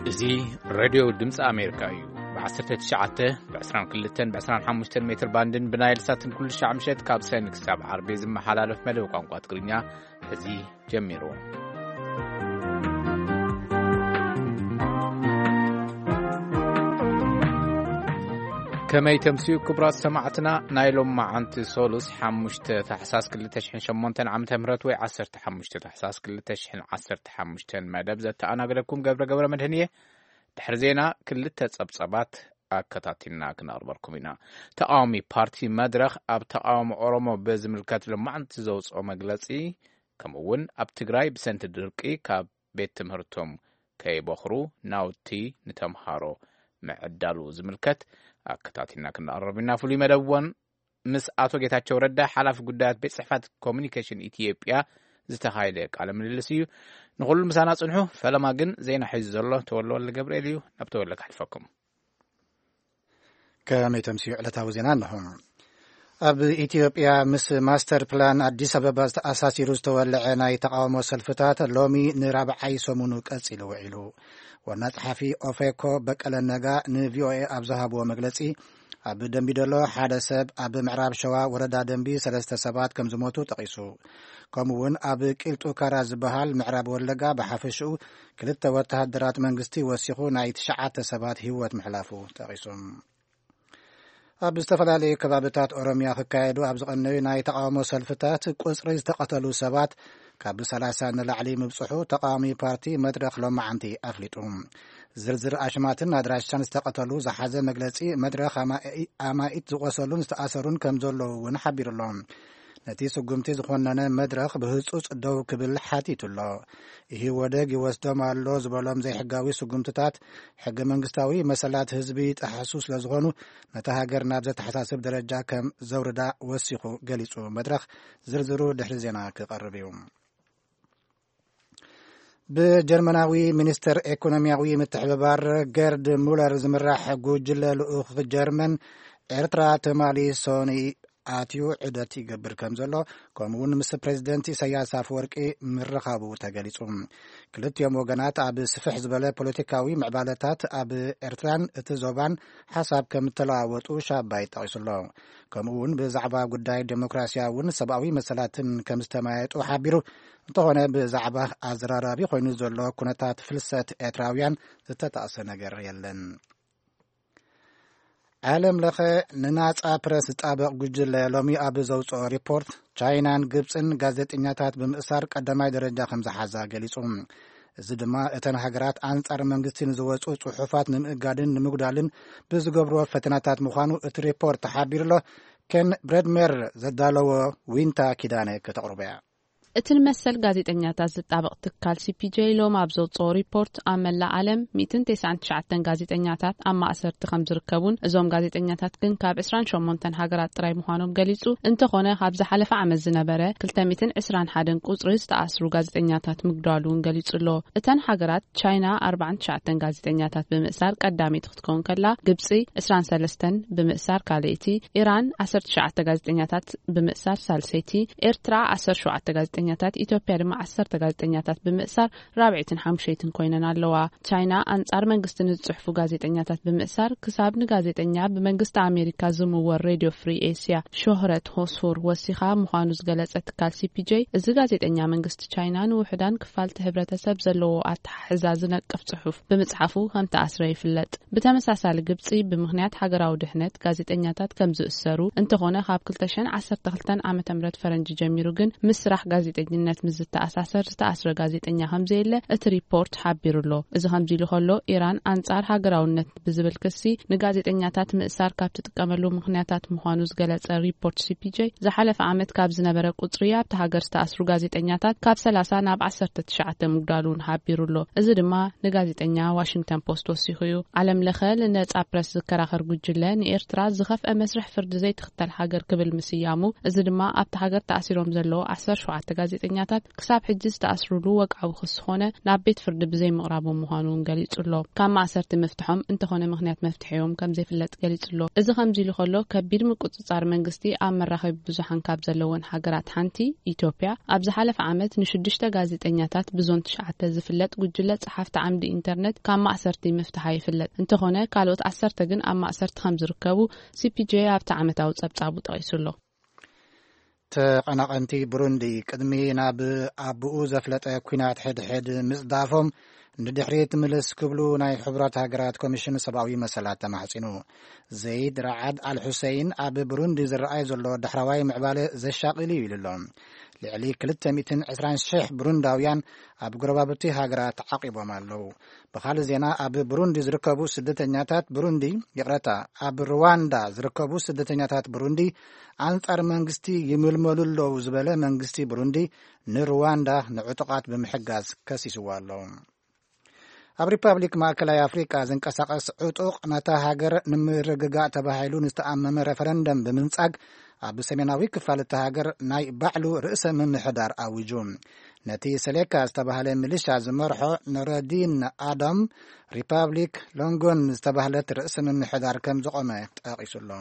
እዚ ሬድዮ ድምፂ ኣሜሪካ እዩ። ብ19፣ ብ22፣ ብ25 ሜትር ባንድን ብናይል ሳትን ኩሉ ሻዕ ምሸት ካብ ሰኒ ክሳብ ዓርቢ ዝመሓላለፍ መደብ ቋንቋ ትግርኛ እዚ ጀሚሩ። ከመይ ተምስዩ ክቡራት ሰማዕትና፣ ናይ ሎም መዓንቲ ሶሉስ ሓሙሽተ ታሕሳስ ክልተ ሽሕን ሸሞንተን ዓመተ ምህረት ወይ ዓሰርተ ሓሙሽተ ታሕሳስ ክልተ ሽሕን ዓሰርተ ሓሙሽተን መደብ ዘተኣናገደኩም ገብረ ገብረ መድህን እየ። ድሕሪ ዜና ክልተ ጸብጸባት ኣከታቲልና ክነቕርበልኩም ኢና። ተቃዋሚ ፓርቲ መድረኽ ኣብ ተቃውሞ ኦሮሞ ብዝምልከት ሎማዕንቲ ዘውፅኦ መግለጺ፣ ከምኡ እውን ኣብ ትግራይ ብሰንቲ ድርቂ ካብ ቤት ትምህርቶም ከይበኽሩ ናውቲ ንተምሃሮ ምዕዳሉ ዝምልከት ኣከታቲልና ክነቕርብ ኢና። ፍሉይ መደብ እውን ምስ ኣቶ ጌታቸው ረዳ ሓላፊ ጉዳያት ቤት ጽሕፈት ኮሚኒኬሽን ኢትዮጵያ ዝተኻየደ ቃለ ምልልስ እዩ። ንኹሉ ምሳና ጽንሑ። ፈለማ ግን ዜና ሒዙ ዘሎ ተወልደ ወልደ ገብርኤል እዩ። ናብ ተወልደ ከሕልፈኩም። ከመይ ተምስዩ ዕለታዊ ዜና እንሆ። ኣብ ኢትዮጵያ ምስ ማስተር ፕላን ኣዲስ ኣበባ ዝተኣሳሲሩ ዝተወለዐ ናይ ተቃውሞ ሰልፍታት ሎሚ ንራብዓይ ሰሙኑ ቀጺሉ ውዒሉ። ዋና ጸሓፊ ኦፌኮ በቀለ ነጋ ንቪኦኤ ኣብ ዝሃብዎ መግለጺ፣ ኣብ ደምቢዶሎ ሓደ ሰብ፣ ኣብ ምዕራብ ሸዋ ወረዳ ደምቢ ሰለስተ ሰባት ከም ዝሞቱ ጠቒሱ። ከምኡ እውን ኣብ ቂልጡ ካራ ዝበሃል ምዕራብ ወለጋ ብሓፈሽኡ ክልተ ወተሃደራት መንግስቲ ወሲኹ ናይ ትሽዓተ ሰባት ህይወት ምሕላፉ ጠቒሱ። ኣብ ዝተፈላለዩ ከባብታት ኦሮሚያ ክካየዱ ኣብ ዝቐነዩ ናይ ተቃውሞ ሰልፍታት ቁጽሪ ዝተቐተሉ ሰባት ካብ ሰላሳ ንላዕሊ ምብጽሑ ተቃዋሚ ፓርቲ መድረኽ ሎማዓንቲ ኣፍሊጡ። ዝርዝር ኣሽማትን ኣድራሻን ዝተቐተሉ ዝሓዘ መግለጺ መድረኽ ኣማኢ-፣ ኣማኢት ዝቖሰሉን ዝተኣሰሩን ከም ዘለዉ እውን ሓቢሩ ኣሎ። ነቲ ስጉምቲ ዝኾነነ መድረኽ ብህጹጽ ደው ክብል ሓቲቱ ኣሎ። ኢህወደግ ይወስዶም ኣሎ ዝበሎም ዘይሕጋዊ ስጉምትታት ሕገ መንግስታዊ መሰላት ህዝቢ ይጠሕሱ ስለ ዝኾኑ ነታ ሃገር ናብ ዘተሓሳስብ ደረጃ ከም ዘውርዳ ወሲኹ ገሊጹ። መድረኽ ዝርዝሩ ድሕሪ ዜና ክቐርብ እዩ። ብጀርመናዊ ሚኒስተር ኤኮኖሚያዊ ምትሕብባር ገርድ ሙለር ዝምራሕ ጉጅለ ልኡኽ ጀርመን ኤርትራ ትማሊ ሶኒ ኣትዩ ዑደት ይገብር ከም ዘሎ፣ ከምኡ እውን ምስ ፕሬዚደንት ኢሳያስ ኣፈወርቂ ምርኻቡ ተገሊጹ። ክልቲኦም ወገናት ኣብ ስፍሕ ዝበለ ፖለቲካዊ ምዕባለታት ኣብ ኤርትራን እቲ ዞባን ሓሳብ ከም እተለዋወጡ ሻባይ ጠቒሱ ኣሎ። ከምኡ እውን ብዛዕባ ጉዳይ ዴሞክራሲያውን ሰብኣዊ መሰላትን ከም ዝተመያየጡ ሓቢሩ። እንተኾነ ብዛዕባ ኣዘራራቢ ኮይኑ ዘሎ ኩነታት ፍልሰት ኤርትራውያን ዝተጠቕሰ ነገር የለን። ዓለም ለኸ ንናጻ ፕረስ ዝጣበቕ ጉጅለ ሎሚ ኣብ ዘውፅኦ ሪፖርት፣ ቻይናን ግብፅን ጋዜጠኛታት ብምእሳር ቀዳማይ ደረጃ ከም ዝሓዛ ገሊጹ። እዚ ድማ እተን ሃገራት ኣንጻር መንግስቲ ንዝወፁ ጽሑፋት ንምእጋድን ንምጉዳልን ብዝገብርዎ ፈተናታት ምዃኑ እቲ ሪፖርት ሓቢሩ ኣሎ። ኬን ብረድሜር ዘዳለዎ ዊንታ ኪዳነ ከተቕርቦ እያ። እቲ ንመሰል ጋዜጠኛታት ዝጣበቕ ትካል ሲ ፒ ጄ ሎም ኣብ ዘውፅኦ ሪፖርት፣ ኣብ መላእ ዓለም ሚእትን ተስዓን ትሽዓተን ጋዜጠኛታት ኣብ ማእሰርቲ ከም ዝርከቡን፣ እዞም ጋዜጠኛታት ግን ካብ ዕስራን ሸሞንተን ሃገራት ጥራይ ምዃኖም ገሊጹ። እንተኾነ፣ ካብ ዝሓለፈ ዓመት ዝነበረ ክልተ ሚእትን ዕስራን ሓደን ቁጽሪ ዝተኣስሩ ጋዜጠኛታት ምግዳሉ እውን ገሊጹ ኣሎ። እተን ሃገራት፣ ቻይና ኣርባዓን ትሽዓተን ጋዜጠኛታት ብምእሳር ቀዳመይቲ ክትከውን ከላ፣ ግብጺ ዕስራን ሰለስተን ብምእሳር ካልኣይቲ፣ ኢራን ዓሰርተ ትሽዓተ ጋዜጠኛታት ብምእሳር ሳልሰይቲ፣ ኤርትራ ዓሰርተ ሸውዓተ ጋዜጠኛታት፣ ኢትዮጵያ ድማ ዓሰርተ ጋዜጠኛታት ብምእሳር ራብዐይትን ሓሙሸይትን ኮይነን ኣለዋ። ቻይና ኣንጻር መንግስቲ ንዝጽሕፉ ጋዜጠኛታት ብምእሳር፣ ክሳብ ንጋዜጠኛ ብመንግስቲ ኣሜሪካ ዝምወል ሬድዮ ፍሪ ኤስያ ሾህረት ሆስሁር ወሲኻ ምዃኑ ዝገለጸ ትካል ሲ ፒ ጄ፣ እዚ ጋዜጠኛ መንግስቲ ቻይና ንውሑዳን ክፋልቲ ሕብረተሰብ ዘለዎ ኣተሓሕዛ ዝነቅፍ ጽሑፍ ብምጽሓፉ ከም ተኣስረ ይፍለጥ። ብተመሳሳሊ፣ ግብጺ ብምኽንያት ሃገራዊ ድሕነት ጋዜጠኛታት ከም ዝእሰሩ፣ እንተኾነ፣ ካብ ክልተ ሽሕን ዓሰርተ ክልተን ዓመተ ምህረት ፈረንጂ ጀሚሩ ግን ምስ ስራሕ ጋዜጠኝነት ምስ ዝተኣሳሰር ዝተኣስረ ጋዜጠኛ ከም ዘየለ እቲ ሪፖርት ሓቢሩ ኣሎ። እዚ ከምዚ ኢሉ ከሎ፣ ኢራን ኣንጻር ሃገራውነት ብዝብል ክሲ ንጋዜጠኛታት ምእሳር ካብ ትጥቀመሉ ምኽንያታት ምዃኑ ዝገለጸ ሪፖርት ሲ ፒ ጄ፣ ዝሓለፈ ዓመት ካብ ዝነበረ ቁጽሪ ኣብቲ ሃገር ዝተኣስሩ ጋዜጠኛታት ካብ ሰላሳ ናብ ዓሰርተ ትሽዓተ ምጉዳሉ እውን ሓቢሩ ኣሎ። እዚ ድማ ንጋዜጠኛ ዋሽንግተን ፖስት ወሲኹ እዩ። ዓለም ለኸ ንነጻ ፕረስ ዝከራኸር ጉጅለ፣ ንኤርትራ ዝኸፍአ መስርሕ ፍርዲ ዘይትኽተል ሃገር ክብል ምስያሙ፣ እዚ ድማ ኣብቲ ሃገር ተኣሲሮም ዘለዉ ዓሰርተ ሸውዓተ ጋዜጠኛታት ክሳብ ሕጂ ዝተኣስሩሉ ወግዓዊ ክሲ ኾነ ናብ ቤት ፍርዲ ብዘይምቕራቦም ምዃኑ እውን ገሊጹ ኣሎ። ካብ ማእሰርቲ ምፍትሖም እንተኾነ ምኽንያት መፍትሒኦም ከም ዘይፍለጥ ገሊጹ ኣሎ። እዚ ከምዚ ኢሉ ከሎ፣ ከቢድ ምቁጽጻር መንግስቲ ኣብ መራኸቢ ብዙሓን ካብ ዘለወን ሃገራት ሓንቲ ኢትዮጵያ፣ ኣብ ዝሓለፈ ዓመት ንሽዱሽተ ጋዜጠኛታት ብዞን ትሽዓተ ዝፍለጥ ጉጅለ ጸሓፍቲ ዓምዲ ኢንተርነት ካብ ማእሰርቲ ምፍትሓ ይፍለጥ። እንተኾነ፣ ካልኦት ዓሰርተ ግን ኣብ ማእሰርቲ ከም ዝርከቡ ሲ ፒ ጄ ኣብቲ ዓመታዊ ጸብጻቡ ጠቒሱ ኣሎ። ተቐናቐንቲ ብሩንዲ ቅድሚ ናብ ኣቦኡ ዘፍለጠ ኲናት ሕድሕድ ምጽዳፎም ንድሕሪት ምልስ ክብሉ ናይ ሕቡራት ሃገራት ኮሚሽን ሰብኣዊ መሰላት ተማሕጺኑ። ዘይድ ረዓድ ኣል ሑሰይን ኣብ ብሩንዲ ዝረኣይ ዘሎ ዳሕረዋይ ምዕባለ ዘሻቕል እዩ ኢሉ ኣሎ። ልዕሊ ክልተ ሚእትን ዕስራን ሽሕ ብሩንዳውያን ኣብ ጎረባብቲ ሃገራት ተዓቂቦም ኣለዉ። ብኻልእ ዜና፣ ኣብ ብሩንዲ ዝርከቡ ስደተኛታት ብሩንዲ፣ ይቕረታ፣ ኣብ ሩዋንዳ ዝርከቡ ስደተኛታት ብሩንዲ ኣንጻር መንግስቲ ይምልመሉ ኣለዉ ዝበለ መንግስቲ ብሩንዲ ንሩዋንዳ ንዕጡቓት ብምሕጋዝ ከሲስዋ ኣሎ። ኣብ ሪፓብሊክ ማእከላይ ኣፍሪቃ ዝንቀሳቐስ ዕጡቕ ነታ ሃገር ንምርግጋእ ተባሂሉ ንዝተኣመመ ረፈረንደም ብምንጻግ ኣብ ሰሜናዊ ክፋል እታ ሃገር ናይ ባዕሉ ርእሰ ምምሕዳር ኣዊጁ። ነቲ ሰሌካ ዝተባህለ ሚሊሻ ዝመርሖ ኖረዲን ኣዳም ሪፓብሊክ ሎንጎን ዝተባህለት ርእሰ ምምሕዳር ከም ዝቖመ ጠቒሱ ኣሎ።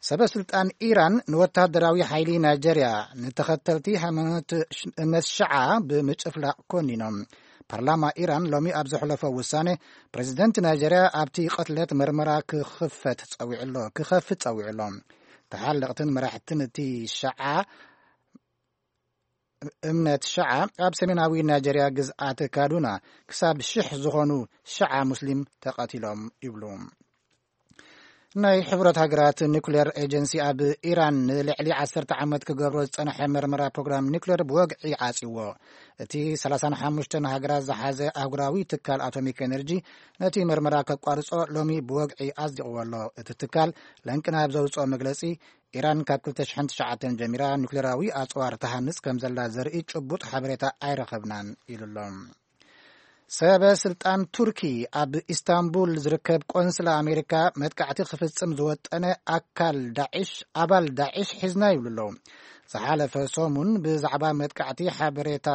ሰበ ስልጣን ኢራን ንወታደራዊ ሓይሊ ናይጀርያ ንተኸተልቲ ሃይማኖት ሽ-፣ እምነት ሽዓ ብምጭፍላቕ ኮኒኖም። ፓርላማ ኢራን ሎሚ ኣብ ዘሕለፎ ውሳነ፣ ፕሬዚደንት ናይጀርያ ኣብቲ ቅትለት መርመራ ክኽፈት ጸዊዑ ኣሎ፣ ክኸፍት ጸዊዑ ኣሎ። ተሓለቕትን መራሕትን እቲ ሽዓ እምነት ሽዓ ኣብ ሰሜናዊ ናይጀርያ ግዝኣት ካዱና ክሳብ ሽሕ ዝኾኑ ሽዓ ሙስሊም ተቐቲሎም ይብሉ። ናይ ሕቡራት ሃገራት ኒኩሌር ኤጀንሲ ኣብ ኢራን ንልዕሊ ዓሰርተ ዓመት ክገብሮ ዝጸንሐ መርመራ ፕሮግራም ኒኩሌር ብወግዒ ዓጽዎ። እቲ ሰላሳን ሓሙሽተን ሃገራት ዝሓዘ ኣህጉራዊ ትካል ኣቶሚክ ኤነርጂ ነቲ መርመራ ከቋርጾ ሎሚ ብወግዒ ኣጽዲቕዎ ኣሎ። እቲ ትካል ለንቅና ኣብ ዘውጽኦ መግለጺ፣ ኢራን ካብ ክልተ ሽሕን ትሽዓተን ጀሚራ ኒኩሌራዊ ኣጽዋር ትሃንጽ ከም ዘላ ዘርኢ ጭቡጥ ሓበሬታ ኣይረኸብናን ኢሉ ኣሎ። ሰበ ስልጣን ቱርኪ ኣብ ኢስታንቡል ዝርከብ ቆንስላ ኣሜሪካ መጥቃዕቲ ክፍጽም ዝወጠነ ኣካል ዳዕሽ፣ ኣባል ዳዕሽ ሒዝና ይብሉ ኣለዉ። ዝሓለፈ ሰሙን ብዛዕባ መጥቃዕቲ ሓበሬታ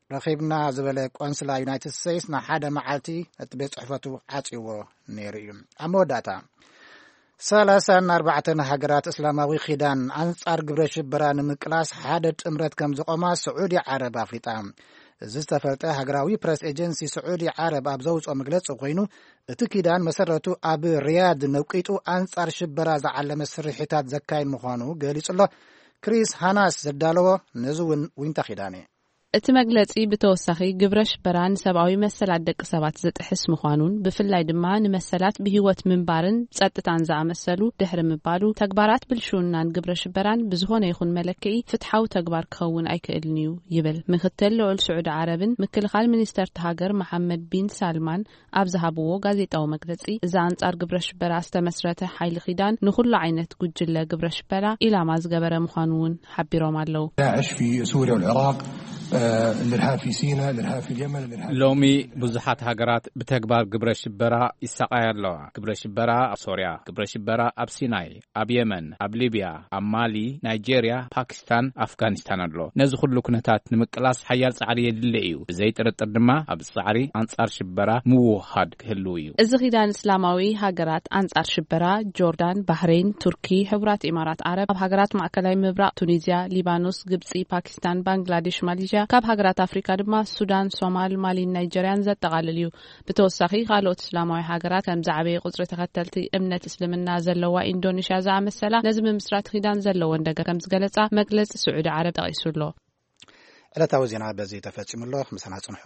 ረኺብና ዝበለ ቆንስላ ዩናይትድ ስቴትስ ንሓደ መዓልቲ እቲ ቤት ጽሕፈቱ ዓጽይዎ ነይሩ እዩ። ኣብ መወዳእታ፣ ሰላሳን ኣርባዕተን ሃገራት እስላማዊ ኪዳን ኣንጻር ግብረ ሽበራ ንምቅላስ ሓደ ጥምረት ከም ዝቖማ ስዑዲ ዓረብ ኣፍሊጣ። እዚ ዝተፈልጠ ሃገራዊ ፕረስ ኤጀንሲ ስዑዲ ዓረብ ኣብ ዘውጽኦ መግለጺ ኮይኑ፣ እቲ ኪዳን መሰረቱ ኣብ ሪያድ ነቂጡ ኣንጻር ሽበራ ዝዓለመ ስርሒታት ዘካይድ ምዃኑ ገሊጹ ኣሎ። ክሪስ ሃናስ ዘዳለዎ ነዚ እውን ዊንታ ኪዳነ። እቲ መግለጺ ብተወሳኺ ግብረ ሽበራ ንሰብኣዊ መሰላት ደቂ ሰባት ዝጥሕስ ምዃኑን ብፍላይ ድማ ንመሰላት ብህይወት ምንባርን ጸጥታን ዝኣመሰሉ ድሕሪ ምባሉ ተግባራት ብልሽውናን ግብረ ሽበራን ብዝኾነ ይኹን መለክዒ ፍትሓዊ ተግባር ክኸውን ኣይክእልን እዩ ይብል። ምክትል ልዑል ስዑዲ ዓረብን ምክልኻል ሚኒስተርቲ ሃገር መሓመድ ቢን ሳልማን ኣብ ዝሃብዎ ጋዜጣዊ መግለጺ፣ እዚ ኣንጻር ግብረ ሽበራ ዝተመስረተ ሓይሊ ኪዳን ንኹሉ ዓይነት ጉጅለ ግብረ ሽበራ ኢላማ ዝገበረ ምዃኑ እውን ሓቢሮም ኣለዉ። داعش في سوريا والعراق، آه، الإرهاب في سيناء، الإرهاب في اليمن، الإرهاب ሎሚ ብዙሓት ሃገራት ብተግባር ግብረ ሽበራ ይሳቐያ ኣለዋ። ግብረ ሽበራ ኣብ ሶርያ፣ ግብረ ሽበራ ኣብ ሲናይ፣ ኣብ የመን፣ ኣብ ሊብያ፣ ኣብ ማሊ፣ ናይጄርያ፣ ፓኪስታን፣ ኣፍጋኒስታን ኣሎ። ነዚ ኩሉ ኩነታት ንምቅላስ ሓያል ጻዕሪ የድሊ እዩ። ብዘይ ጥርጥር ድማ ኣብ ጻዕሪ ኣንጻር ሽበራ ምውህሃድ ክህልው እዩ። እዚ ኪዳን እስላማዊ ሃገራት ኣንጻር ሽበራ፣ ጆርዳን፣ ባህሬን፣ ቱርኪ፣ ሕቡራት ኢማራት ዓረብ፣ ኣብ ሃገራት ማእከላይ ምብራቕ፣ ቱኒዝያ፣ ሊባኖስ፣ ግብጺ፣ ፓኪስታን፣ ባንግላዴሽ፣ ማሌዥያ፣ ካብ ሃገራት ኣፍሪካ ድማ ሱዳን፣ ሶማል፣ ማሊን ናይጀርያን ዘጠቓልል እዩ። ብተወሳኺ፣ ካልኦት እስላማዊ ሃገራት ከም ዝዓበየ ቁጽሪ ተኸተልቲ እምነት እስልምና ዘለዋ ኢንዶኔሽያ ዝኣመሰላ፣ ነዚ ምምስራት ኪዳን ዘለወን ደገፍ ከም ዝገለጻ መግለጺ ስዑዲ ዓረብ ጠቒሱ ኣሎ። ዕለታዊ ዜና በዚ ተፈጺሙ ኣሎ። ምሳና ጽንሑ።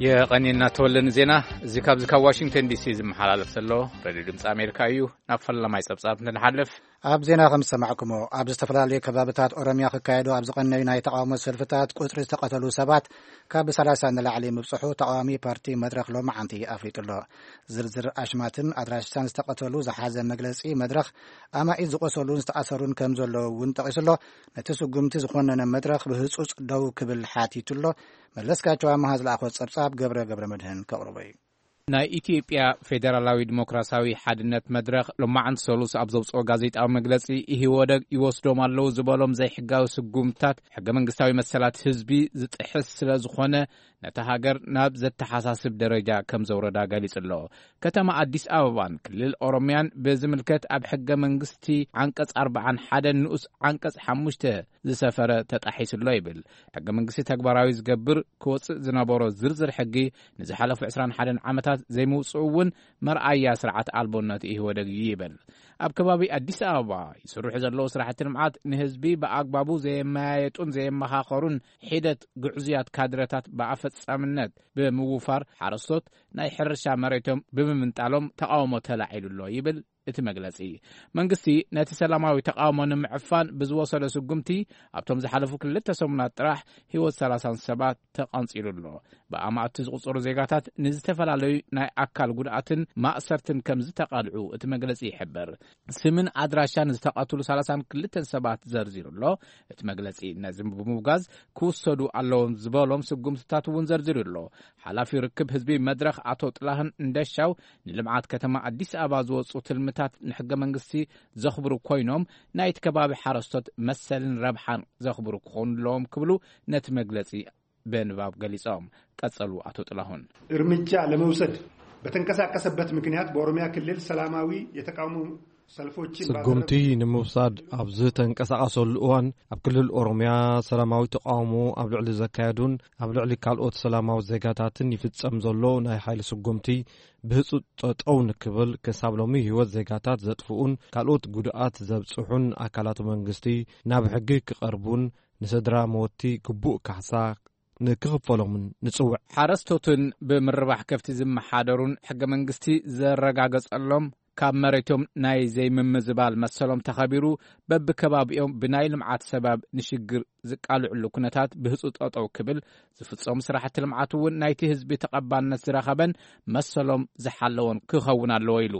የቐንየና ተወለ ንዜና። እዚ ካብዚ ካብ ዋሽንግተን ዲ ሲ ዝመሓላለፍ ዘሎ ሬድዮ ድምፂ ኣሜሪካ እዩ። ናብ ፈላማይ ጸብጻብ እንትንሓልፍ፣ ኣብ ዜና ከም ዝሰማዕኩሞ፣ ኣብ ዝተፈላለዩ ከባብታት ኦሮምያ ክካየዱ ኣብ ዝቐነዩ ናይ ተቓውሞ ሰልፍታት ቁጽሪ ዝተቐተሉ ሰባት ካብ ሰላሳ ንላዕሊ ምብጽሑ ተቓዋሚ ፓርቲ መድረኽ ሎማዓንቲ ኣፍሊጡ ኣሎ። ዝርዝር ኣሽማትን ኣድራሻን ዝተቐተሉ ዝሓዘ መግለጺ መድረኽ፣ ኣማኢት ዝቖሰሉን ዝተኣሰሩን ከም ዘለዉ እውን ጠቒሱ ኣሎ። ነቲ ስጉምቲ ዝኾነነ መድረኽ ብህጹጽ ደው ክብል ሓቲቱ ኣሎ። መለስካቸው ኣመሃ ዝለኣኾ ጸብጻብ ገብረ ገብረ መድህን ከቕርቦ እዩ። ናይ ኢትዮጵያ ፌደራላዊ ዲሞክራሲያዊ ሓድነት መድረኽ ሎማዓንቲ ሰሉስ ኣብ ዘውፅኦ ጋዜጣዊ መግለፂ፣ ኢህወደግ ይወስዶም ኣለዉ ዝበሎም ዘይሕጋዊ ስጉምትታት ሕገ መንግስታዊ መሰላት ህዝቢ ዝጥሕስ ስለ ዝኾነ፣ ነታ ሃገር ናብ ዘተሓሳስብ ደረጃ ከም ዘውረዳ ገሊጹ ኣሎ። ከተማ ኣዲስ ኣበባን ክልል ኦሮምያን ብዝምልከት ኣብ ሕገ መንግስቲ ዓንቀጽ ኣርባዓን ሓደን ንኡስ ዓንቀጽ ሓሙሽተ ዝሰፈረ ተጣሒሱ ኣሎ ይብል። ሕገ መንግስቲ ተግባራዊ ዝገብር ክወጽእ ዝነበሮ ዝርዝር ሕጊ ንዝሓለፉ ዕስራን ሓደን ዓመታት ዘይምውጽኡ እውን መርኣያ ስርዓት ኣልቦነት ኢህወደግ እዩ ይብል። ኣብ ከባቢ ኣዲስ ኣበባ ይስርሑ ዘለዉ ስራሕቲ ልምዓት ንህዝቢ ብኣግባቡ ዘየመያየጡን ዘየመኻኸሩን፣ ሒደት ግዕዙያት ካድረታት ብኣፈጻምነት ብምውፋር፣ ሓረስቶት ናይ ሕርሻ መሬቶም ብምምንጣሎም ተቓውሞ ተላዒሉ ኣሎ ይብል እቲ መግለጺ። መንግስቲ ነቲ ሰላማዊ ተቓውሞ ንምዕፋን ብዝወሰዶ ስጉምቲ፣ ኣብቶም ዝሓለፉ ክልተ ሰሙናት ጥራሕ ህይወት ሰላሳን ሰባት ተቐንጺሉ ኣሎ። ብኣማእቲ ዝቑጸሩ ዜጋታት ንዝተፈላለዩ ናይ ኣካል ጉድኣትን ማእሰርትን ከም ዝተቓልዑ እቲ መግለጺ ይሕብር። ስምን ኣድራሻን ዝተቐትሉ ሰላሳን ክልተን ሰባት ዘርዚሩ ኣሎ። እቲ መግለጺ ነዚ ብምውጋዝ፣ ክውሰዱ ኣለዎም ዝበሎም ስጉምትታት እውን ዘርዚሩ ኣሎ። ሓላፊ ርክብ ህዝቢ መድረኽ ኣቶ ጥላሁን እንደሻው፣ ንልምዓት ከተማ ኣዲስ ኣበባ ዝወጹ ትልምታት ንሕገ መንግስቲ ዘኽብሩ ኮይኖም፣ ናይቲ ከባቢ ሓረስቶት መሰልን ረብሓን ዘኽብሩ ክኾኑ ኣለዎም ክብሉ ነቲ መግለጺ ብንባብ ገሊጾም። ቀጸሉ ኣቶ ጥላሁን። እርምጃ ለመውሰድ በተንቀሳቀሰበት ምክንያት በኦሮሚያ ክልል ሰላማዊ የተቃውሞ ሰልፎችን ስጉምቲ ባደረገ- ንምውሳድ ኣብ ዝተንቀሳቐሰሉ እዋን፣ ኣብ ክልል ኦሮምያ ሰላማዊ ተቃውሞ ኣብ ልዕሊ ዘካየዱን ኣብ ልዕሊ ካልኦት ሰላማዊ ዜጋታትን ይፍጸም ዘሎ ናይ ሓይሊ ስጉምቲ ብህጹጽ ጠጠው ንክብል፣ ክሳብ ሎሚ ህይወት ዜጋታት ዘጥፍኡን ካልኦት ጉድኣት ዘብጽሑን ኣካላት መንግስቲ ናብ ሕጊ ክቐርቡን ንስድራ መወቲ ግቡእ ካሕሳ ንክኽፈሎምን ንጽውዕ። ሓረስቶትን ብምርባሕ ከፍቲ ዝመሓደሩን ሕገ መንግስቲ ዘረጋገጸሎም፣ ካብ መሬቶም ናይ ዘይምምዝባል መሰሎም ተኸቢሩ፣ በብከባቢኦም ብናይ ልምዓት ሰበብ ንሽግር ዝቃልዕሉ ኩነታት ብህጹጽ ጠጠው ክብል፣ ዝፍጸሙ ስራሕቲ ልምዓት እውን ናይቲ ህዝቢ ተቐባልነት ዝረኸበን መሰሎም ዝሓለወን ክኸውን ኣለዎ ኢሉ።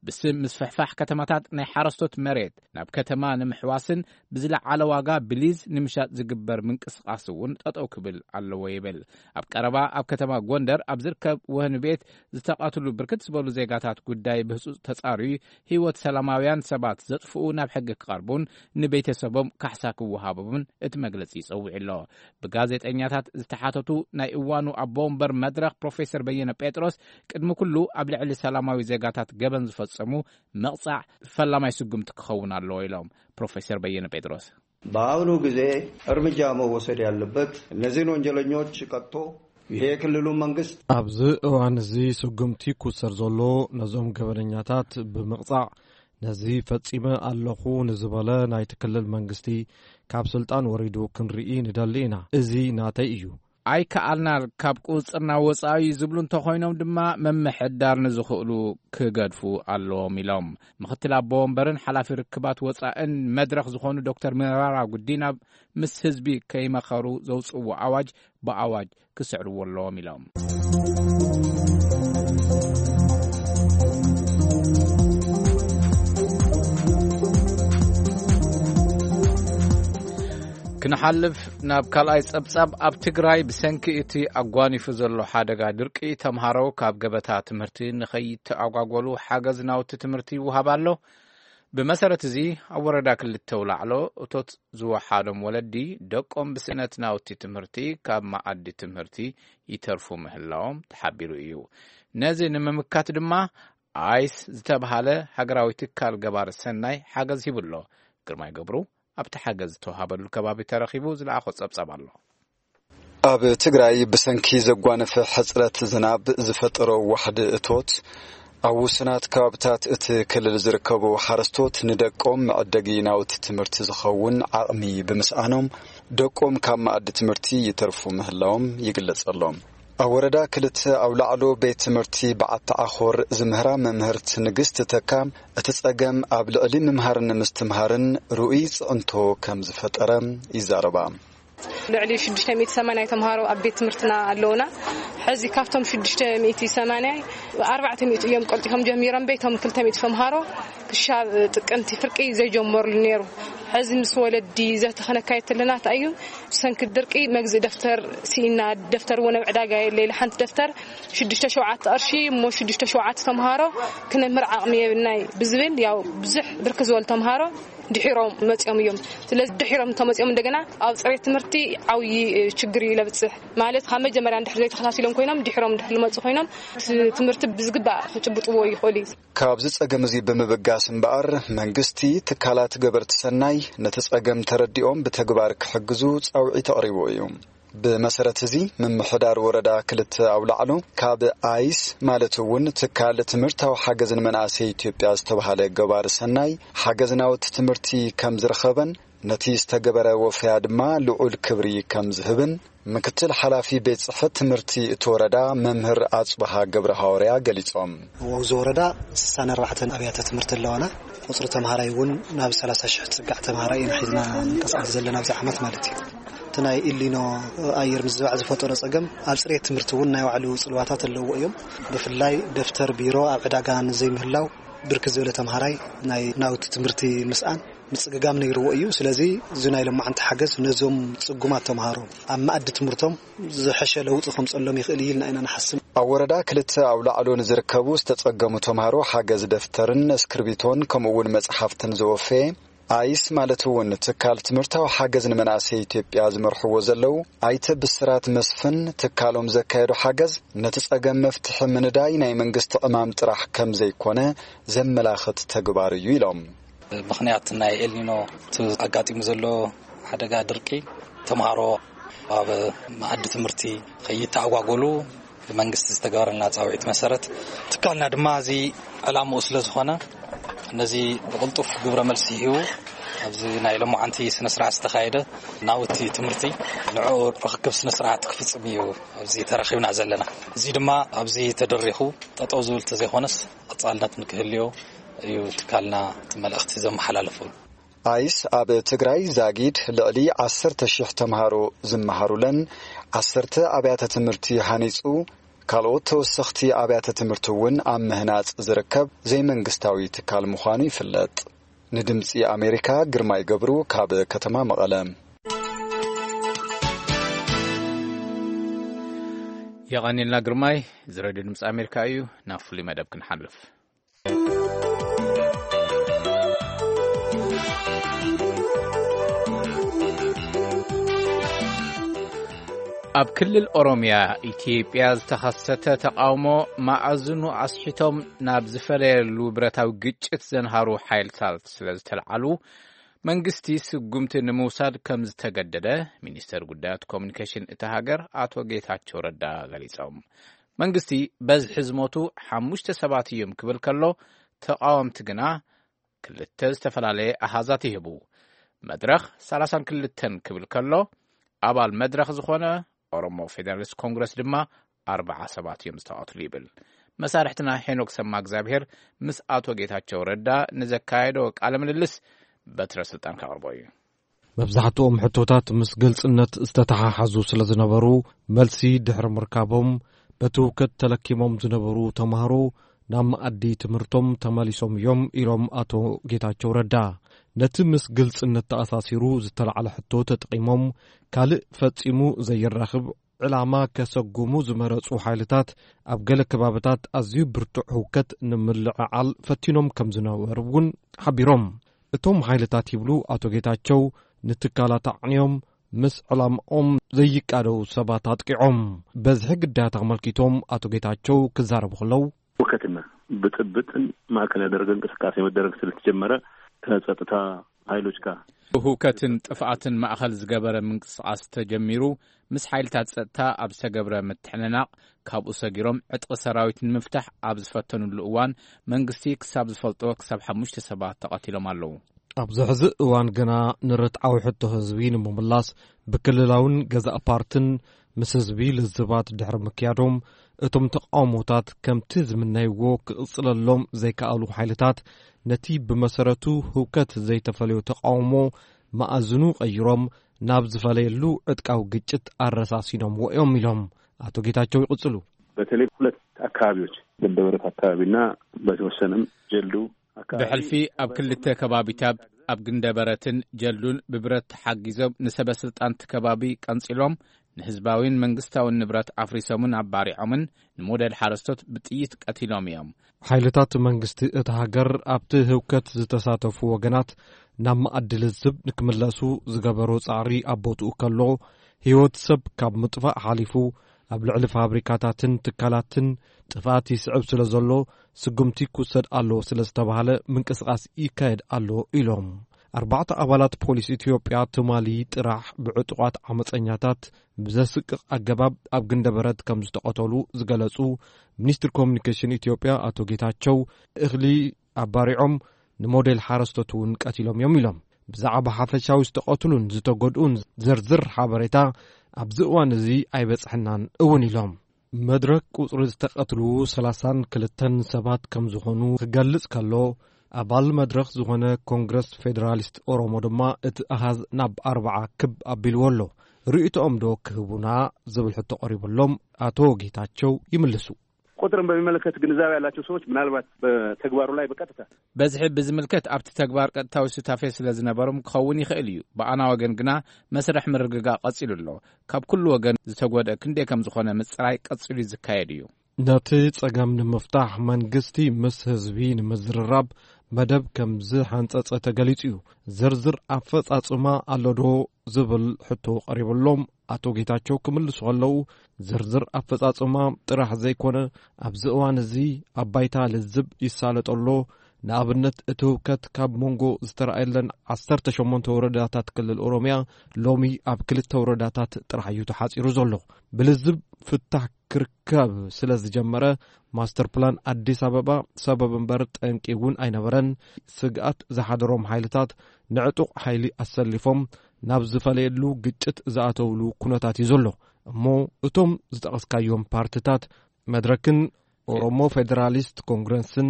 ብስም ምስፍሕፋሕ ከተማታት ናይ ሓረስቶት መሬት ናብ ከተማ ንምሕዋስን ብዝለዓለ ዋጋ ብሊዝ ንምሻጥ ዝግበር ምንቅስቓስ እውን ጠጠው ክብል ኣለዎ ይብል። ኣብ ቀረባ ኣብ ከተማ ጎንደር ኣብ ዝርከብ ወህኒ ቤት ዝተቐትሉ ብርክት ዝበሉ ዜጋታት ጉዳይ ብህጹጽ ተጻርዩ፣ ህይወት ሰላማውያን ሰባት ዘጥፍኡ ናብ ሕጊ ክቐርቡን ንቤተሰቦም ካሕሳ ክወሃቦምን እቲ መግለጺ ይጸውዕ ኣሎ። ብጋዜጠኛታት ዝተሓተቱ ናይ እዋኑ ኣቦ ወንበር መድረኽ ፕሮፌሰር በየነ ጴጥሮስ፣ ቅድሚ ኩሉ ኣብ ልዕሊ ሰላማዊ ዜጋታት ገበን ዝፈጸሙ መቕጻዕ ፈላማይ ስጉምቲ ክኸውን ኣለዎ ኢሎም ፕሮፌሰር በየነ ጴጥሮስ። በአሁኑ ጊዜ እርምጃ መወሰድ ያለበት እነዚህን ወንጀለኞች ቀጥቶ ይሄ የክልሉ መንግስት ኣብዚ እዋን እዚ ስጉምቲ ክውሰድ ዘሎ ነዞም ገበነኛታት ብምቕጻዕ፣ ነዚ ፈጺመ ኣለኹ ንዝበለ ናይቲ ክልል መንግስቲ ካብ ስልጣን ወሪዱ ክንርኢ ንደሊ ኢና። እዚ ናተይ እዩ። ኣይከኣልናን፣ ካብ ቁጽጽርና ወጻኢ እዩ ዝብሉ እንተኾይኖም ድማ፣ ምምሕዳር ንዝኽእሉ ክገድፉ ኣለዎም ኢሎም። ምኽትል ኣቦ ወንበርን ሓላፊ ርክባት ወጻእን መድረኽ ዝኾኑ ዶክተር መራራ ጉዲና፣ ምስ ህዝቢ ከይመኸሩ ዘውጽእዎ ኣዋጅ ብኣዋጅ ክስዕርዎ ኣለዎም ኢሎም። ክንሓልፍ ናብ ካልኣይ ጸብጻብ። ኣብ ትግራይ ብሰንኪ እቲ ኣጓኒፉ ዘሎ ሓደጋ ድርቂ፣ ተምሃሮ ካብ ገበታ ትምህርቲ ንኸይተኣጓጎሉ ሓገዝ ናውቲ ትምህርቲ ይወሃብ ኣሎ። ብመሰረት እዚ፣ ኣብ ወረዳ ክልተ ውላዕሎ፣ እቶት ዝወሓዶም ወለዲ ደቆም ብስእነት ናውቲ ትምህርቲ ካብ መኣዲ ትምህርቲ ይተርፉ ምህላዎም ተሓቢሩ እዩ። ነዚ ንምምካት ድማ፣ ኣይስ ዝተብሃለ ሃገራዊ ትካል ገባሪ ሰናይ ሓገዝ ሂቡ ኣሎ። ግርማይ ገብሩ ኣብቲ ሓገዝ ዝተዋሃበሉ ከባቢ ተረኺቡ ዝለኣኾ ጸብጻብ ኣሎ። ኣብ ትግራይ ብሰንኪ ዘጓነፈ ሕጽረት ዝናብ ዝፈጠሮ ዋሕዲ እቶት፣ ኣብ ውሱናት ከባብታት እቲ ክልል ዝርከቡ ሓረስቶት ንደቆም መዐደጊ ናውቲ ትምህርቲ ዝኸውን ዓቕሚ ብምስኣኖም፣ ደቆም ካብ መኣዲ ትምህርቲ ይተርፉ ምህላዎም ይግለጸሎም። ኣብ ወረዳ ክልተ ኣብ ላዕሎ ቤት ትምህርቲ በዓቲ ዓኾር ዝምህራ መምህርት ንግስቲ ተካ፣ እቲ ጸገም ኣብ ልዕሊ ምምሃርን ምስትምሃርን ርኡይ ጽዕንቶ ከም ዝፈጠረ ይዛረባ። ልዕሊ ሽዱሽተ ሚእቲ ሰማንያ ተምሃሮ ኣብ ቤት ትምህርትና ኣለውና። ሕዚ ካብቶም ሽዱሽተ ሚእቲ ሰማንያ፣ ኣርባዕተ ሚእቲ እዮም ቀልጢፎም ጀሚሮም፣ ቤቶም ክልተ ሚእቲ ተምሃሮ ክሻብ ጥቅምቲ ፍርቂ ዘይጀመርሉ ነይሩ። ሕዚ ምስ ወለዲ ዘተኸነካየት ኣለና። እንታይ እዩ፣ ብሰንኪ ድርቂ መግዝኢ ደፍተር ስኢና፣ ደፍተር እውን ኣብ ዕዳጋ የለ። ኢለ ሓንቲ ደፍተር ሽዱሽተ ሸውዓተ ቅርሺ እሞ ሽዱሽተ ሸውዓተ ተምሃሮ ክነምህር ዓቕሚ የብልናይ ብዝብል፣ ያው ብዙሕ ብርክ ዝበሉ ተምሃሮ ድሒሮም መጺኦም እዮም። ስለዚ ድሒሮም ተመጺኦም እንደገና ኣብ ጽሬት ትምህርቲ ዓብዪ ችግር እዩ ለብጽሕ። ማለት ካብ መጀመርያ እንድሕር ዘይተኸታቲሎም ኮይኖም ድሒሮም እንድሕር ልመጹ ኮይኖም፣ እቲ ትምህርቲ ብዝግባእ ክጭብጥዎ ይኽእሉ እዩ። ካብዚ ጸገም እዚ ብምብጋስ እምበኣር፣ መንግስቲ፣ ትካላት ገበርቲ ሰናይ ነቲ ጸገም ተረዲኦም ብተግባር ክሕግዙ ጻውዒት ኣቕሪቡ እዩ። ብመሰረት እዚ፣ ምምሕዳር ወረዳ ክልተ ኣብ ላዕሎ፣ ካብ ኣይስ፣ ማለት እውን ትካል ትምህርታዊ ሓገዝ ንመናእሰይ ኢትዮጵያ ዝተባህለ ገባሪ ሰናይ፣ ሓገዝ ናውቲ ትምህርቲ ከም ዝረኸበን፣ ነቲ ዝተገበረ ወፈያ ድማ ልዑል ክብሪ ከም ዝህብን፣ ምክትል ሓላፊ ቤት ጽሕፈት ትምህርቲ እቲ ወረዳ መምህር ኣጽብሃ ገብረ ሃዋርያ ገሊጾም። ኣብዚ ወረዳ ስሳን ኣርባዕተን ኣብያተ ትምህርቲ ኣለዋና። ቁጽሪ ተምሃራይ እውን ናብ ሰላሳ ሽሕ ዝጽጋዕ ተምሃራይ ኢና ሒዝና ንንቀሳቐስ ዘለና ኣብዚ ዓመት ማለት እዩ። እቲ ናይ ኢሊኖ ኣየር ምዝባዕ ዝፈጠሮ ጸገም ኣብ ጽሬት ትምህርቲ እውን ናይ ባዕሉ ጽልዋታት ኣለዎ እዮም። ብፍላይ ደፍተር፣ ቢሮ ኣብ ዕዳጋ ንዘይምህላው፣ ብርክት ዝበለ ተምሃራይ ናይ ናውቲ ትምህርቲ ምስኣን ምጽግጋም ነይርዎ እዩ። ስለዚ እዚ ናይ ሎማዓንቲ ሓገዝ ነዞም ጽጉማት ተምሃሮ ኣብ መኣዲ ትምህርቶም ዝሐሸ ለውጢ ከምጸሎም ይኽእል እዩ ኢልና ኢና ንሓስብ። ኣብ ወረዳ ክልተ ኣብ ላዕሎ ንዝርከቡ ዝተጸገሙ ተምሃሮ ሓገዝ ደፍተርን እስክርቢቶን ከምኡ እውን መጽሓፍትን ዝወፈየ ኣይስ፣ ማለት እውን ትካል ትምህርታዊ ሓገዝ ንመናእሰይ ኢትዮጵያ ዝመርሕዎ ዘለዉ ኣይተ ብስራት መስፍን፣ ትካሎም ዘካየዶ ሓገዝ ነቲ ጸገም መፍትሒ ምንዳይ ናይ መንግስቲ ዕማም ጥራሕ ከም ዘይኮነ ዘመላኽት ተግባር እዩ ኢሎም። ምኽንያት ናይ ኤልኒኖ እቲ ኣጋጢሙ ዘሎ ሓደጋ ድርቂ፣ ተምሃሮ ኣብ መኣዲ ትምህርቲ ከይተኣጓጎሉ ብመንግስቲ ዝተገበረልና ጻውዒት መሰረት፣ ትካልና ድማ እዚ ዕላምኡ ስለ ዝኾነ፣ ነዚ ብቕልጡፍ ግብረ መልሲ ሂቡ፣ ኣብዚ ናይ ሎማዓንቲ ስነ ስርዓት ዝተኻየደ ናውቲ ትምህርቲ ንዕኡ ርኽክብ ስነ ስርዓት ክፍጽም እዩ ኣብዚ ተረኺብና ዘለና። እዚ ድማ ኣብዚ ተደሪኹ ጠጠው ዝብል ተዘይኮነስ፣ ቀጻልነት ንክህልዮ እዩ ትካልና እቲ መልእኽቲ ዘመሓላልፈሉ። ኣይስ፣ ኣብ ትግራይ ዛጊድ ልዕሊ ዓሰርተ ሺሕ ተምሃሮ ዝመሃሩለን ዓሰርተ ኣብያተ ትምህርቲ ሃኒጹ፣ ካልኦት ተወሰኽቲ ኣብያተ ትምህርቲ እውን ኣብ ምህናጽ ዝርከብ ዘይመንግስታዊ ትካል ምዃኑ ይፍለጥ። ንድምጺ ኣሜሪካ፣ ግርማይ ገብሩ፣ ካብ ከተማ መቐለ። የቐንየልና ግርማይ። እዚ ሬድዮ ድምፂ ኣሜሪካ እዩ። ናብ ፍሉይ መደብ ክንሓልፍ። ኣብ ክልል ኦሮምያ ኢትዮጵያ ዝተኸሰተ ተቓውሞ መኣዝኑ ኣስሒቶም ናብ ዝፈለየሉ ብረታዊ ግጭት ዘንሃሩ ሓይልታት ስለ ዝተለዓሉ፣ መንግስቲ ስጉምቲ ንምውሳድ ከም ዝተገደደ ሚኒስተር ጉዳያት ኮሙኒኬሽን እታ ሃገር ኣቶ ጌታቸው ረዳ ገሊጾም። መንግስቲ በዝሒ ዝሞቱ ሓሙሽተ ሰባት እዮም ክብል ከሎ፣ ተቓወምቲ ግና ክልተ ዝተፈላለየ ኣሃዛት ይህቡ። መድረኽ ሰላሳን ክልተን ክብል ከሎ፣ ኣባል መድረኽ ዝኾነ ኦሮሞ ፌደራሊስት ኮንግረስ ድማ ኣርባዓ ሰባት እዮም ዝተቐትሉ ይብል። መሳርሕትና ሄኖክ ሰማ እግዚኣብሔር ምስ ኣቶ ጌታቸው ረዳ ንዘካየዶ ቃለ ምልልስ በትረ ስልጣን ከቕርቦ እዩ። መብዛሕትኦም ሕቶታት ምስ ግልጽነት ዝተተሓሓዙ ስለ ዝነበሩ፣ መልሲ ድሕሪ ምርካቦም፣ በቲ ህውከት ተለኪሞም ዝነበሩ ተምሃሮ ናብ መኣዲ ትምህርቶም ተመሊሶም እዮም ኢሎም ኣቶ ጌታቸው ረዳ። ነቲ ምስ ግልጽነት ተኣሳሲሩ ዝተላዕለ ሕቶ ተጠቒሞም፣ ካልእ ፈጺሙ ዘይራኽብ ዕላማ ከሰጉሙ ዝመረጹ ሓይልታት ኣብ ገለ ከባብታት ኣዝዩ ብርቱዕ ህውከት ንምልዕዓል ፈቲኖም ከም ዝነበሩ እውን ሓቢሮም። እቶም ሓይልታት ይብሉ ኣቶ ጌታቸው፣ ንትካላት ኣዕንዮም ምስ ዕላምኦም ዘይቃደው ሰባት ኣጥቂዖም። በዝሒ ግዳያት ኣመልኪቶም ኣቶ ጌታቸው ክዛረቡ ከለው፣ ሁከትና ብጥብጥን ማዕከል ያደረገ እንቅስቃሴ መደረግ ስለተጀመረ ከጸጥታ ኃይሎች ጋር። ሁከትን ጥፍኣትን ማእኸል ዝገበረ ምንቅስቃስ ተጀሚሩ፣ ምስ ሓይልታት ጸጥታ ኣብ ዝተገብረ ምትሕንናቕ፣ ካብኡ ሰጊሮም ዕጥቂ ሰራዊት ንምፍታሕ ኣብ ዝፈተኑሉ እዋን፣ መንግስቲ ክሳብ ዝፈልጦ ክሳብ ሓሙሽተ ሰባት ተቐቲሎም ኣለዉ። ኣብዚ ሕዚ እዋን ግና ንርትዓዊ ሕቶ ህዝቢ ንምምላስ ብክልላውን ገዛእ ፓርትን ምስ ህዝቢ ልዝባት ድሕሪ ምክያዶም፣ እቶም ተቃውሞታት ከምቲ ዝምነይዎ ክቕጽለሎም ዘይከኣሉ ሓይልታት፣ ነቲ ብመሰረቱ ህውከት ዘይተፈለዮ ተቃውሞ መኣዝኑ ቀይሮም ናብ ዝፈለየሉ ዕጥቃዊ ግጭት ኣረሳሲኖምዎ እዮም ኢሎም ኣቶ ጌታቸው ይቕጽሉ። በተለይ ሁለት አካባቢዎች፣ ገንደበረት አካባቢና በተወሰነም ጀልዱ አካባቢ ብሕልፊ ኣብ ክልተ ከባቢታት፣ ኣብ ግንደበረትን ጀልዱን ብብረት ተሓጊዞም ንሰበ ስልጣን እቲ ከባቢ ቀንጺሎም፣ ንህዝባዊን መንግስታዊን ንብረት ኣፍሪሶምን ኣባሪዖምን፣ ንሞዴል ሓረስቶት ብጥይት ቀቲሎም እዮም። ሓይልታት መንግስቲ እቲ ሃገር ኣብቲ ህውከት ዝተሳተፉ ወገናት ናብ መኣዲ ልዝብ ንክምለሱ ዝገበሮ ጻዕሪ ኣብ ቦትኡ ከሎ፣ ህይወት ሰብ ካብ ምጥፋእ ሓሊፉ ኣብ ልዕሊ ፋብሪካታትን ትካላትን ጥፍኣት ይስዕብ ስለ ዘሎ፣ ስጉምቲ ክውሰድ ኣለዎ ስለ ዝተባህለ ምንቅስቓስ ይካየድ ኣሎ ኢሎም። ኣርባዕተ ኣባላት ፖሊስ ኢትዮጵያ ትማሊ ጥራሕ ብዕጡቓት ዓመፀኛታት ብዘስቅቕ ኣገባብ ኣብ ግንደበረት ከም ዝተቐተሉ ዝገለጹ ሚኒስትር ኮሚኒኬሽን ኢትዮጵያ ኣቶ ጌታቸው፣ እኽሊ ኣባሪዖም ንሞዴል ሓረስቶት እውን ቀቲሎም እዮም ኢሎም። ብዛዕባ ሓፈሻዊ ዝተቐትሉን ዝተጎድኡን ዝርዝር ሓበሬታ ኣብዚ እዋን እዚ ኣይበጽሐናን እውን ኢሎም። መድረክ ቁጽሪ ዝተቐትሉ ሰላሳን ክልተን ሰባት ከም ዝኾኑ ክገልጽ ከሎ፣ ኣባል መድረኽ ዝኾነ ኮንግረስ ፌደራሊስት ኦሮሞ ድማ እቲ ኣሃዝ ናብ ኣርባዓ ክብ ኣቢልዎ ኣሎ። ርእይቶኦም ዶ ክህቡና ዝብል ሕቶ ቀሪቡሎም ኣቶ ጌታቸው ይምልሱ። ቁጥርን በሚመለከት ግንዛቤ ያላቸው ሰዎች ምናልባት በተግባሩ ላይ በቀጥታ በዝሒ ብዝምልከት ኣብቲ ተግባር ቀጥታዊ ሱታፌ ስለ ዝነበሮም ክኸውን ይኽእል እዩ። ብኣና ወገን ግና መስርሕ ምርግጋእ ቀጺሉ ኣሎ። ካብ ኩሉ ወገን ዝተጎድአ ክንደይ ከም ዝኾነ ምጽራይ ቀጺሉ ዝካየድ እዩ። ነቲ ጸገም ንምፍታሕ መንግስቲ ምስ ህዝቢ ንምዝርራብ መደብ ከም ዝሓንጸጸ ተገሊጹ እዩ። ዝርዝር ኣፈጻጽማ ኣሎ ዶ ዝብል ሕቶ ቀሪብሎም ኣቶ ጌታቸው ክምልሱ ከለዉ፣ ዝርዝር ኣፈጻጽማ ጥራሕ ዘይኮነ፣ ኣብዚ እዋን እዚ ኣብ ባይታ ልዝብ ይሳለጦ ኣሎ። ንኣብነት፣ እቲ ህውከት ካብ መንጎ ዝተራእየለን ዓሰርተ ሸሞንተ ወረዳታት ክልል ኦሮምያ ሎሚ ኣብ ክልተ ወረዳታት ጥራሕ እዩ ተሓጺሩ ዘሎ። ብልዝብ ፍታሕ ክርከብ ስለ ዝጀመረ፣ ማስተር ፕላን ኣዲስ ኣበባ ሰበብ እምበር ጠንቂ እውን ኣይነበረን። ስግኣት ዝሓደሮም ሓይልታት ንዕጡቕ ሓይሊ ኣሰሊፎም ናብ ዝፈለየሉ ግጭት ዝኣተውሉ ኩነታት እዩ ዘሎ። እሞ እቶም ዝጠቐስካዮም ፓርትታት መድረክን ኦሮሞ ፌደራሊስት ኮንግረስን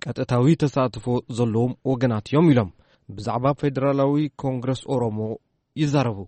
ቀጥታዊ ተሳትፎ ዘለዎም ወገናት እዮም ኢሎም። ብዛዕባ ፌደራላዊ ኮንግረስ ኦሮሞ ይዛረቡ።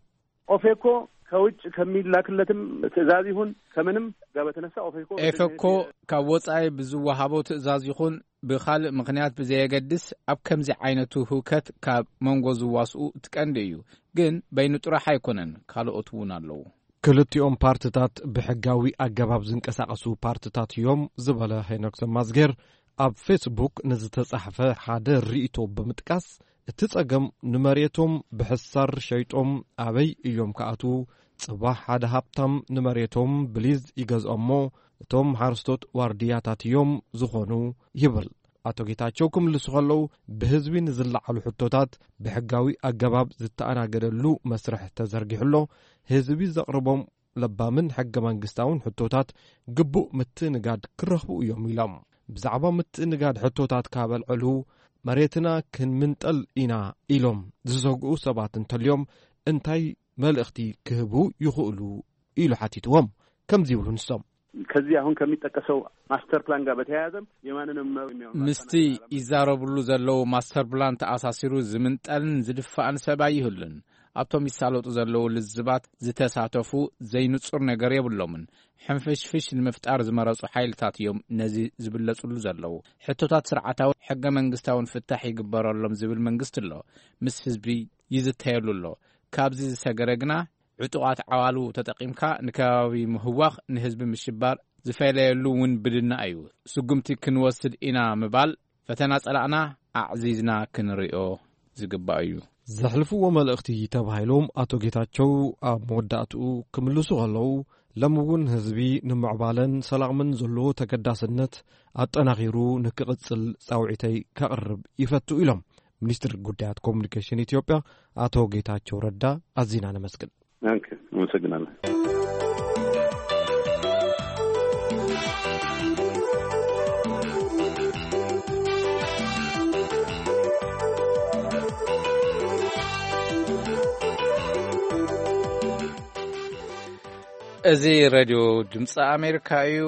ኦፌኮ ከውጭ ከሚላክለትም ትእዛዝ ይሁን ከምንም ጋር በተነሳ ኦፌኮ ኤፈኮ ካብ ወጻኢ ብዝወሃቦ ትእዛዝ ይኹን ብኻልእ ምኽንያት ብዘየገድስ፣ ኣብ ከምዚ ዓይነቱ ህውከት ካብ መንጎ ዝዋስኡ እቲ ቀንዲ እዩ። ግን በይኑ ጥራሕ ኣይኮነን፣ ካልኦት እውን ኣለዉ። ክልቲኦም ፓርትታት ብሕጋዊ ኣገባብ ዝንቀሳቐሱ ፓርትታት እዮም ዝበለ ሄኖክ ሰማዝጌር፣ ኣብ ፌስቡክ ንዝተጻሕፈ ሓደ ርእይቶ ብምጥቃስ፣ እቲ ጸገም ንመሬቶም ብሕሳር ሸይጦም ኣበይ እዮም ክኣትዉ? ጽባሕ ሓደ ሃብታም ንመሬቶም ብሊዝ ይገዝኦሞ፣ እቶም ሓረስቶት ዋርድያታት እዮም ዝኾኑ ይብል። ኣቶ ጌታቸው ክምልሱ ከለዉ፣ ብህዝቢ ንዝለዓሉ ሕቶታት ብሕጋዊ ኣገባብ ዝተኣናገደሉ መስርሕ ተዘርጊሑ ኣሎ። ህዝቢ ዘቕርቦም ለባምን ሕገ መንግስታውን ሕቶታት ግቡእ ምትእንጋድ ክረኽቡ እዮም ኢሎም። ብዛዕባ ምትእንጋድ ሕቶታት ካብ ኣልዕሉ፣ መሬትና ክንምንጠል ኢና ኢሎም ዝሰግኡ ሰባት እንተልዮም፣ እንታይ መልእኽቲ ክህቡ ይኽእሉ ኢሉ ሓቲትዎም። ከምዚ ይብሉ ንሶም። ከዚህ አሁን ከሚጠቀሰው ማስተር ፕላን ጋር በተያያዘም የማንንም መብት የሚያውን ምስቲ ይዛረብሉ ዘለዉ ማስተር ፕላን ተኣሳሲሩ ዝምንጠልን ዝድፋእን ሰብ ኣይህሉን። ኣብቶም ይሳለጡ ዘለዉ ልዝባት ዝተሳተፉ ዘይንጹር ነገር የብሎምን። ሕንፍሽፍሽ ንምፍጣር ዝመረጹ ሓይልታት እዮም ነዚ ዝብለጹሉ ዘለዉ። ሕቶታት ስርዓታዊ ሕገ መንግስታውን ፍታሕ ይግበረሎም ዝብል መንግስቲ ኣሎ። ምስ ህዝቢ ይዝተየሉ ኣሎ። ካብዚ ዝሰገረ ግና ዕጡቓት ዓዋሉ ተጠቒምካ ንከባቢ ምህዋኽ፣ ንህዝቢ ምሽባር ዝፈለየሉ ውንብድና እዩ። ስጉምቲ ክንወስድ ኢና ምባል ፈተና ጸላእና ኣዕዚዝና ክንሪኦ ዝግባእ እዩ። ዘሕልፍዎ መልእኽቲ ተባሂሎም ኣቶ ጌታቸው ኣብ መወዳእትኡ ክምልሱ ከለዉ፣ ሎሚ እውን ህዝቢ ንምዕባለን ሰላምን ዘለዎ ተገዳስነት ኣጠናኺሩ ንክቕጽል ጻውዒተይ ከቕርብ ይፈቱ ኢሎም። ሚኒስትር ጉዳያት ኮሙኒኬሽን ኢትዮጵያ ኣቶ ጌታቸው ረዳ ኣዚና ነመስግን። ኦኬ፣ አመሰግናለሁ። እዚ ሬድዮ ድምፂ ኣሜሪካ እዩ።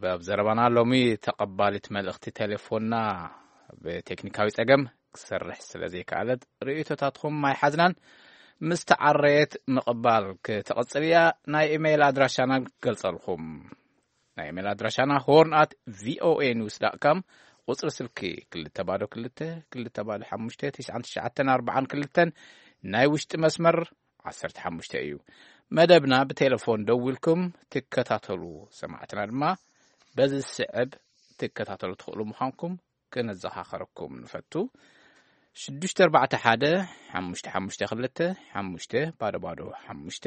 ኣብ ዘረባና ሎሚ ተቐባሊት መልእኽቲ ቴሌፎንና ብቴክኒካዊ ጸገም ክሰርሕ ስለ ዘይከኣለት ርእይቶታትኩም ኣይሓዝናን። ምስ ተዓረየት ምቕባል ክትቕጽል እያ። ናይ ኢሜይል ኣድራሻና ክገልጸልኩም። ናይ ኢሜይል ኣድራሻና ሆርን ኣት ቪኦኤ ኒውስ ዳት ካም፣ ቁጽሪ ስልኪ ክልተ ባዶ ክልተ፣ ክልተ ባዶ ሓሙሽተ፣ ትሽዓን ትሽዓተን ኣርባዓን ክልተን፣ ናይ ውሽጢ መስመር ዓሰርተ ሓሙሽተ እዩ። መደብና ብቴሌፎን ደዊልኩም ትከታተሉ። ሰማዕትና ድማ በዚ ዝስዕብ ትከታተሉ ትኽእሉ ምዃንኩም ክነዘኻኸረኩም ንፈቱ። ሽዱሽተ ኣርባዕተ ሓደ ሓሙሽተ ሓሙሽተ ክልተ ሓሙሽተ ባዶ ባዶ ሓሙሽተ፣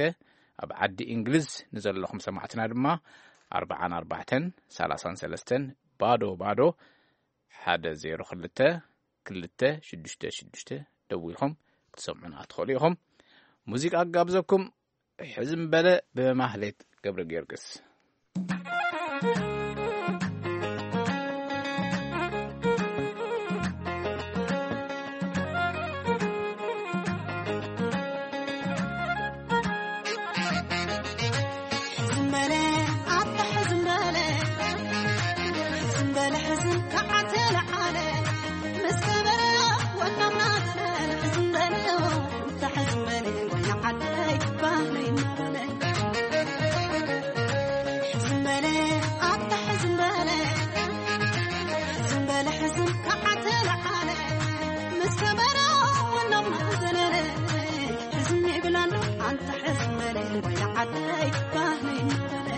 ኣብ ዓዲ እንግሊዝ ንዘለኹም ሰማዕትና ድማ ኣርባዓን ኣርባዕተን ሰላሳን ሰለስተን ባዶ ባዶ ሓደ ዜሮ ክልተ ክልተ ሽዱሽተ ሽዱሽተ ደዊልኩም ክትሰምዑና ትኽእሉ ኢኹም። ሙዚቃ ክጋብዘኩም። ሕዝም በለ ብማህሌት ገብረ ጊዮርጊስ። ሕዝም በለ ኣታ ሕዝም በለ፣ ሕዝም በለ ሕዝም ከዓተ ለዓለ፣ ምስ ከበረ ወናምና ዘለ፣ ሕዝም በለ ኣታ ሕዝም በለ፣ ወይና ዓደይ ባህለይ እናበለ። ሕዝም በለ ኣታ ሕዝም በለ፣ ሕዝም በለ ሕዝም ከዓተ ለዓለ፣ ምስ ከበረ ወናምና ዘለለ። ሕዝም ይብላሉ ኣንታ ሕዝም በለ፣ ወይና ዓደይ ባህለይ እናበለ።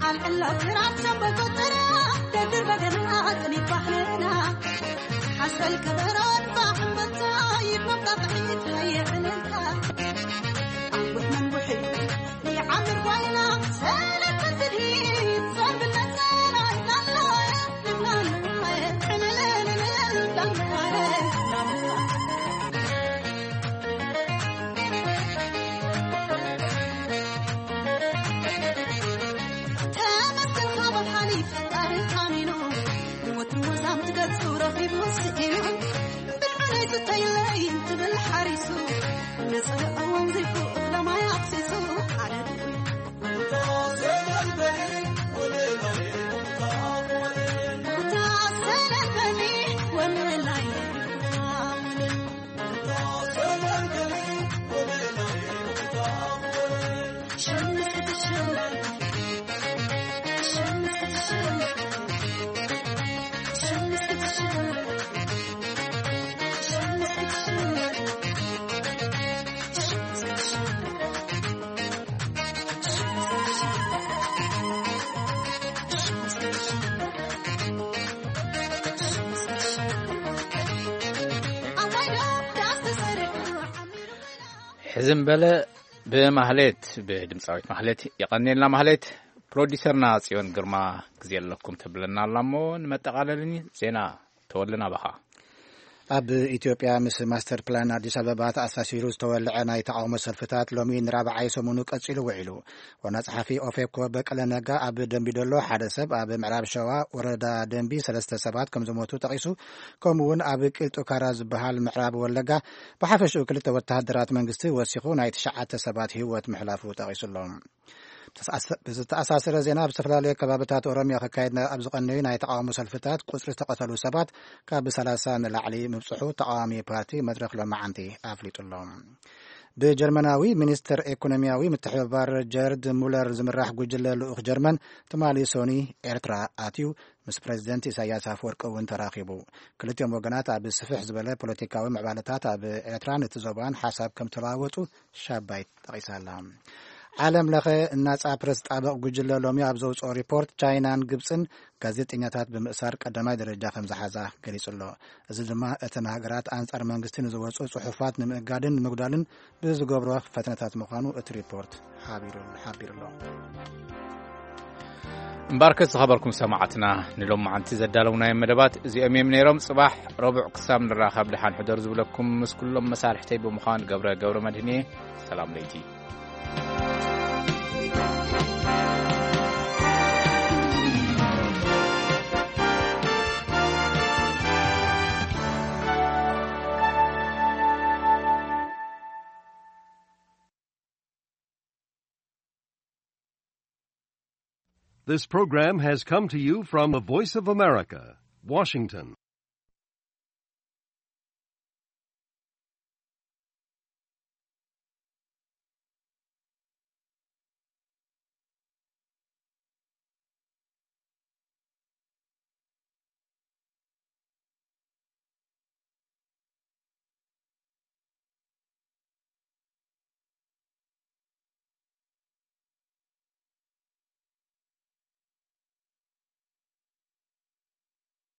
ኣልዕላ ክራር ሸምበቆ ጥራ፣ ደድር በገና ቅኒት ባህልና። ሓስበል ከበሮ ድፋዕ እምበታ፣ ይትመጣ ጥሒት ሃየ ዕልልታ። ኣንቡሕ መንቡሒ ይዓምር ጓይና፣ ሰለተ ትድሂት፣ ሰርብነት ሰራይ ላላ፣ ልብና ልብና፣ ዕልልልልል፣ ላላ፣ ላላ። ተመስገን ካብ ሓሊፍ ፈጣሪ ታሚኑ፣ ንወትሩ ወዛም ትገጹ ረኺቡ ስኢኑ፣ ብልዑለይ ስተይለይ እንትብል ሓሪሱ፣ ንጽህኦ ወንዚፉ እኽለ ማይ ኣፍሲሱ፣ ሓደ ድኹይ። ሕዝም በለ ብማህሌት፣ ብድምፃዊት ማህሌት። የቐኔልና ማህሌት። ፕሮዲሰርና ጽዮን ግርማ ግዜ ኣለኩም ትብለና ኣላ እሞ ንመጠቓለልን ዜና ተወልና ባኻ። ኣብ ኢትዮጵያ ምስ ማስተር ፕላን ኣዲስ ኣበባ ተኣሳሲሩ ዝተወልዐ ናይ ተቓውሞ ሰልፍታት ሎሚ ንራብዓይ ሰሙኑ ቀጺሉ ውዒሉ። ዋና ጸሓፊ ኦፌኮ በቀለ ነጋ ኣብ ደምቢዶሎ ሓደ ሰብ፣ ኣብ ምዕራብ ሸዋ ወረዳ ደምቢ ሰለስተ ሰባት ከም ዝሞቱ ጠቒሱ፣ ከምኡ እውን ኣብ ቂልጡ ካራ ዝበሃል ምዕራብ ወለጋ ብሓፈሽኡ ክልተ ወተሃደራት መንግስቲ ወሲኹ ናይ ትሽዓተ ሰባት ህይወት ምሕላፉ ጠቒሱ ኣሎ። ብዝተኣሳሰረ ዜና፣ ኣብ ዝተፈላለዩ ከባብታት ኦሮሚያ ክካየድ ኣብ ዝቐነዩ ናይ ተቓውሞ ሰልፍታት ቁጽሪ ዝተቐተሉ ሰባት ካብ ሰላሳ ንላዕሊ ምብጽሑ ተቓዋሚ ፓርቲ መድረኽ ሎማዓንቲ ኣፍሊጡ ኣሎ። ብጀርመናዊ ሚኒስትር ኢኮኖሚያዊ ምትሕብባር ጀርድ ሙለር ዝምራሕ ጉጅለ ልኡኽ ጀርመን ትማሊ ሶኒ ኤርትራ ኣትዩ፣ ምስ ፕረዚደንት ኢሳያስ ኣፈወርቂ እውን ተራኺቡ። ክልቲኦም ወገናት ኣብ ስፍሕ ዝበለ ፖለቲካዊ ምዕባለታት ኣብ ኤርትራን እቲ ዞባን ሓሳብ ከም ተለዋወጡ ሻባይት ጠቒሳ ኣላ። ዓለም ለኸ ናጻ ፕረስ ጣበቕ ጉጅለ ሎሚ ኣብ ዘውፅኦ ሪፖርት፣ ቻይናን ግብፅን ጋዜጠኛታት ብምእሳር ቀዳማይ ደረጃ ከም ዝሓዛ ገሊጹ ኣሎ። እዚ ድማ እተን ሃገራት ኣንጻር መንግስቲ ንዝወፁ ጽሑፋት ንምእጋድን ንምጉዳልን ብዝገብሮ ፈተነታት ምዃኑ እቲ ሪፖርት ሓቢሩ፣ ሓቢሩ ኣሎ። እምበኣርከስ ዝኸበርኩም ሰማዕትና፣ ንሎማዓንቲ ዘዳለውናዮም መደባት እዚኦም እዮም ነይሮም። ጽባሕ ረቡዕ ክሳብ ንራኸብ ደሓን ሕደሩ ዝብለኩም ምስ ኩሎም መሳርሕተይ ብምዃን ገብረ፣ ገብረ መድህን እየ። ሰላም ለይቲ። This program has come to you from the Voice of America, Washington.